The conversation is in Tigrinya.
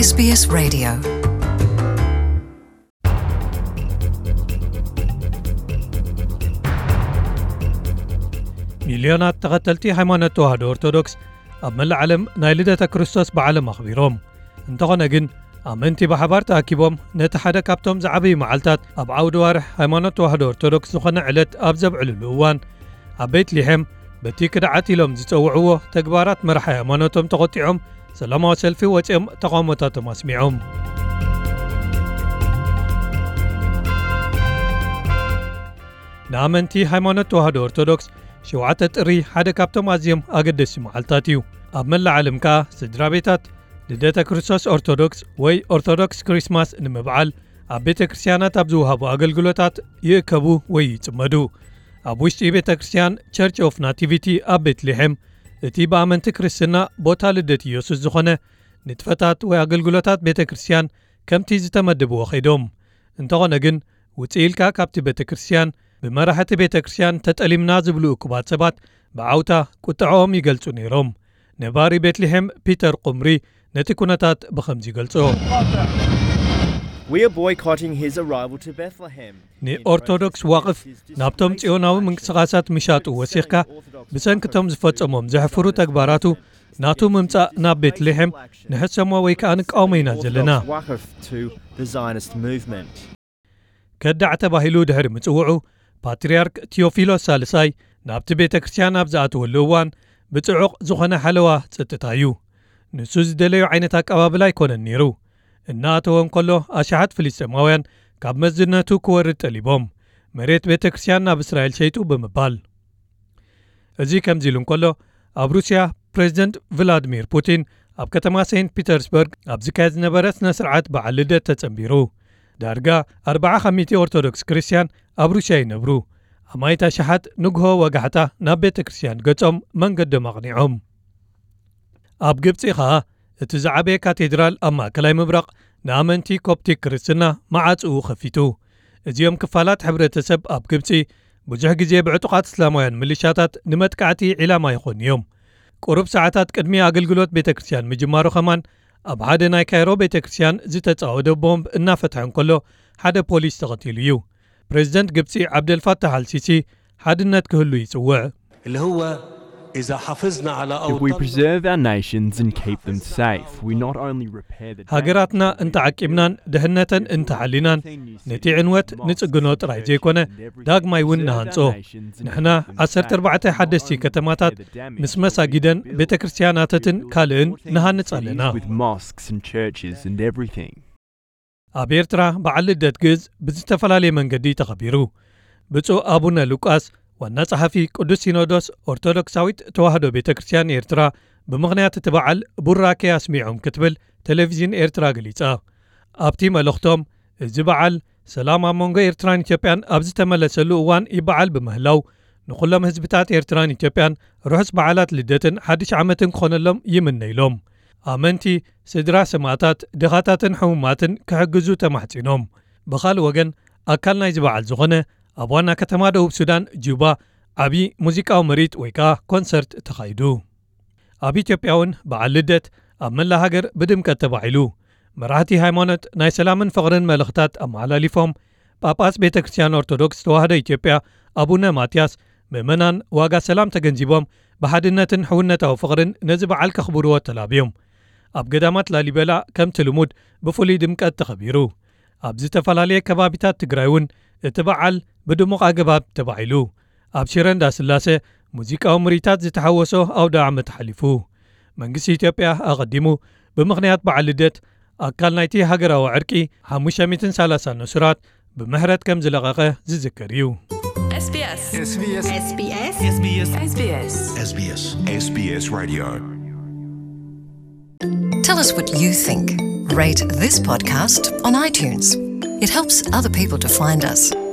SBS Radio. ሚልዮናት ተኸተልቲ ሃይማኖት ተዋህዶ ኦርቶዶክስ ኣብ መላእ ዓለም ናይ ልደተ ክርስቶስ በዓሎም ኣኽቢሮም። እንተኾነ ግን፣ ኣመንቲ ብሓባር ተኣኪቦም ነቲ ሓደ ካብቶም ዝዓበዩ መዓልታት ኣብ ዓውዲ ዋርሕ ሃይማኖት ተዋህዶ ኦርቶዶክስ ዝኾነ ዕለት ኣብ ዘብዕልሉ እዋን፣ ኣብ ቤት ሊሔም በቲ ክድዓት ኢሎም ዝጸውዕዎ ተግባራት መራሒ ሃይማኖቶም ተቖጢዖም ሰላማዊ ሰልፊ ወጺኦም ተቓውሞታቶም ኣስሚዖም። ንኣመንቲ ሃይማኖት ተዋህዶ ኦርቶዶክስ፣ ሸውዓተ ጥሪ ሓደ ካብቶም ኣዝዮም ኣገደስቲ መዓልታት እዩ። ኣብ መላእ ዓለም ከኣ ስድራ ቤታት ልደተ ክርስቶስ ኦርቶዶክስ ወይ ኦርቶዶክስ ክሪስማስ ንምብዓል ኣብ ቤተ ክርስቲያናት ኣብ ዝወሃቡ ኣገልግሎታት ይእከቡ ወይ ይጽመዱ። ኣብ ውሽጢ ቤተ ክርስቲያን ቸርች ኦፍ ናቲቪቲ ኣብ ቤትልሔም፣ እቲ ብኣመንቲ ክርስትና ቦታ ልደት ኢየሱስ ዝኾነ ንጥፈታት ወይ ኣገልግሎታት ቤተ ክርስቲያን ከምቲ ዝተመደብዎ ኸይዶም። እንተኾነ ግን፣ ውፅእ ኢልካ ካብቲ ቤተ ክርስቲያን፣ ብመራሕቲ ቤተ ክርስቲያን ተጠሊምና ዝብሉ እኩባት ሰባት ብዓውታ ቁጥዐኦም ይገልጹ ነይሮም። ነባሪ ቤትልሔም ፒተር ቁምሪ ነቲ ኩነታት ብኸምዚ ይገልጾ። We are boycotting his arrival to Bethlehem. ንኦርቶዶክስ ዋቕፍ ናብቶም ጽዮናዊ ምንቅስቓሳት ምሻጡ ወሲኽካ፣ ብሰንክቶም ዝፈጸሞም ዘሕፍሩ ተግባራቱ፣ ናቱ ምምጻእ ናብ ቤትልሔም ንሕሰሞ ወይ ከኣ ንቃወሞ ኢና ዘለና። Waqf to the Zionist movement. ከዳዕ ተባሂሉ ድሕሪ ምጽውዑ፣ ፓትርያርክ ቲዮፊሎስ ሳልሳይ ናብቲ ቤተ ክርስቲያን ኣብ ዝኣተወሉ እዋን፣ ብጽዑቕ ዝኾነ ሓለዋ ጸጥታ እዩ። ንሱ ዝደለዮ ዓይነት ኣቀባብላ ኣይኮነን ነይሩ። እናኣተወ እንከሎ፣ ኣሽሓት ፍልስጤማውያን ካብ መዝነቱ ክወርድ ጠሊቦም፣ መሬት ቤተ ክርስቲያን ናብ እስራኤል ሸይጡ ብምባል። እዚ ከምዚ ኢሉ እንከሎ፣ ኣብ ሩስያ ፕሬዚደንት ቭላድሚር ፑቲን ኣብ ከተማ ሴንት ፒተርስበርግ ኣብ ዝካየድ ዝነበረ ስነ ስርዓት በዓል ልደት ተጸንቢሩ። ዳርጋ ኣርብዓ ካብ ሚእቲ ኦርቶዶክስ ክርስትያን ኣብ ሩስያ ይነብሩ። ኣማኢት ኣሽሓት ንግሆ ወጋሕታ ናብ ቤተ ክርስቲያን ገጾም መንገዶም ኣቕኒዖም። ኣብ ግብጺ ኸኣ እቲ ዝዓበየ ካቴድራል ኣብ ማእከላይ ምብራቕ ንኣመንቲ ኮፕቲክ ክርስትና መዓጽኡ ከፊቱ። እዚኦም ክፋላት ሕብረተሰብ ኣብ ግብጺ ብዙሕ ግዜ ብዕጡቓት እስላማውያን ምልሻታት ንመጥቃዕቲ ዒላማ ይኾኑ እዮም። ቁሩብ ሰዓታት ቅድሚ ኣገልግሎት ቤተ ክርስቲያን ምጅማሩ ኸማን ኣብ ሓደ ናይ ካይሮ ቤተ ክርስቲያን ዝተጻወደ ቦምብ እናፈትሐ እንከሎ ሓደ ፖሊስ ተቐቲሉ እዩ። ፕሬዚደንት ግብጺ ዓብደልፋታሕ ኣልሲሲ ሓድነት ክህሉ ይጽውዕ። اللي هو إذا حافظنا على If we أوطاننا preserve our nations and keep them safe, we not only repair the ሃገራትና እንተዓቂብናን ድሕነተን እንተሓሊናን ነቲ ዕንወት ንጽግኖ ጥራይ ዘይኮነ ዳግማይ እውን ንሃንጾ። ንሕና ዓሰርተ ኣርባዕተ ሓደስቲ ከተማታት ምስ መሳጊደን ቤተ ክርስቲያናትትን ካልእን ንሃንጽ ኣለና። With mosques and churches and everything. ኣብ ኤርትራ በዓል ልደት ግእዝ ብዝተፈላለየ መንገዲ ተኸቢሩ። ብፁዕ ኣቡነ ሉቃስ ዋና ጸሓፊ ቅዱስ ሲኖዶስ ኦርቶዶክሳዊት ተዋህዶ ቤተ ክርስቲያን ኤርትራ ብምኽንያት እቲ በዓል ቡራኬ ኣስሚዖም ክትብል ቴሌቪዥን ኤርትራ ገሊጻ። ኣብቲ መልእኽቶም፣ እዚ በዓል ሰላም ኣብ መንጎ ኤርትራን ኢትዮጵያን ኣብ ዝተመለሰሉ እዋን ይበዓል ብምህላው፣ ንኹሎም ህዝብታት ኤርትራን ኢትዮጵያን ርሑስ በዓላት ልደትን ሓድሽ ዓመትን ክኾነሎም ይምነ ኢሎም። ኣመንቲ፣ ስድራ ሰማእታት፣ ድኻታትን ሕሙማትን ክሕግዙ ተማሕጺኖም። ብኻልእ ወገን፣ ኣካል ናይዚ በዓል ዝኾነ ኣብ ዋና ከተማ ደቡብ ሱዳን ጁባ ዓቢ ሙዚቃዊ ምርኢት ወይ ከኣ ኮንሰርት ተኻይዱ። ኣብ ኢትዮጵያ እውን በዓል ልደት ኣብ መላእ ሃገር ብድምቀት ተባዒሉ። መራሕቲ ሃይማኖት ናይ ሰላምን ፍቕርን መልእኽታት ኣመሓላሊፎም፣ ጳጳስ ቤተ ክርስቲያን ኦርቶዶክስ ተዋህዶ ኢትዮጵያ ኣቡነ ማትያስ፣ ምእመናን ዋጋ ሰላም ተገንዚቦም ብሓድነትን ሕውነታዊ ፍቕርን ነዚ በዓል ከኽብርዎ ተላብዮም። ኣብ ገዳማት ላሊበላ ከምቲ ልሙድ ብፍሉይ ድምቀት ተኸቢሩ። ኣብ ዝተፈላለየ ከባቢታት ትግራይ እውን እቲ በዓል ብድሙቕ ኣገባብ ተባዒሉ። ኣብ ሽረ እንዳስላሴ ሙዚቃዊ ምርኢታት ዝተሓወሶ ኣውደ ዓመት ሓሊፉ። መንግስቲ ኢትዮጵያ ኣቐዲሙ ብምኽንያት በዓል ልደት ኣካል ናይቲ ሃገራዊ ዕርቂ ሓሙሽተ ሚእትን ሰላሳን እሱራት ብምሕረት ከም ዝለቐቐ ዝዝከር እዩ። SBS. SBS. SBS. SBS. SBS. SBS. SBS Radio. Tell us what you think. Rate this podcast on iTunes. It helps other people to find us.